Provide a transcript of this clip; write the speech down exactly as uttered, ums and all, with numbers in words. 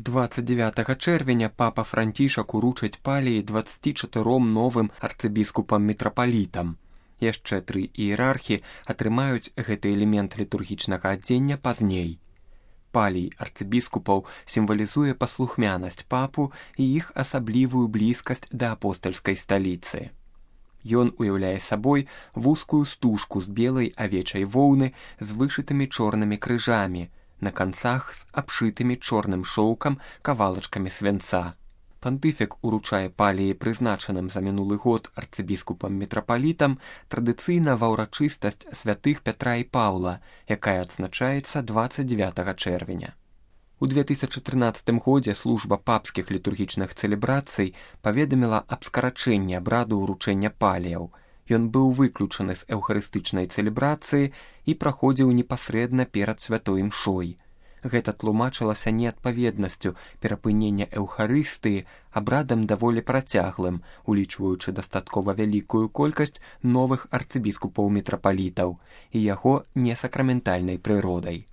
двадцать девятага чэрвеня папа Францішак уручыць паліі дваццаці чатыром новым арцыбіскупам-мітрапалітам. Яшчэ тры іерархі атрымаюць гэты элемент літургічнага адзення пазней. Палій арцыбіскупаў сімвалізуе паслухмянасць папу і іх асаблівую блізкасць да апостальскай сталіцы. Ён уяўляе сабой вузкую стужку з белай авечай воўны з вышытымі чорнымі крыжамі, на канцах з абшытымі чорным шоўкам кавалачкамі свянца. Пантыфік уручае паліі прызначаным за мінулы год арцыбіскупам-мітрапалітам традыцыйна ва ўрачыстасць святых Пятра і Паўла, якая адзначаецца дваццаць дзевятага чэрвеня. У две тысячы трынаццатым годзе служба папскіх літургічных цэлебрацый паведаміла аб скарачэнні абраду ўручэння паліяў. Ён быў выключаны з эўхарыстычнай цэлебрацыі і праходзіў непасрэдна перад святой імшой. Гэта тлумачылася неадпаведнасцю перапынення эўхарыстыі абрадам даволі працяглым, улічваючы дастаткова вялікую колькасць новых арцыбіскупаў-мітрапалітаў і яго несакраментальнай прыродай.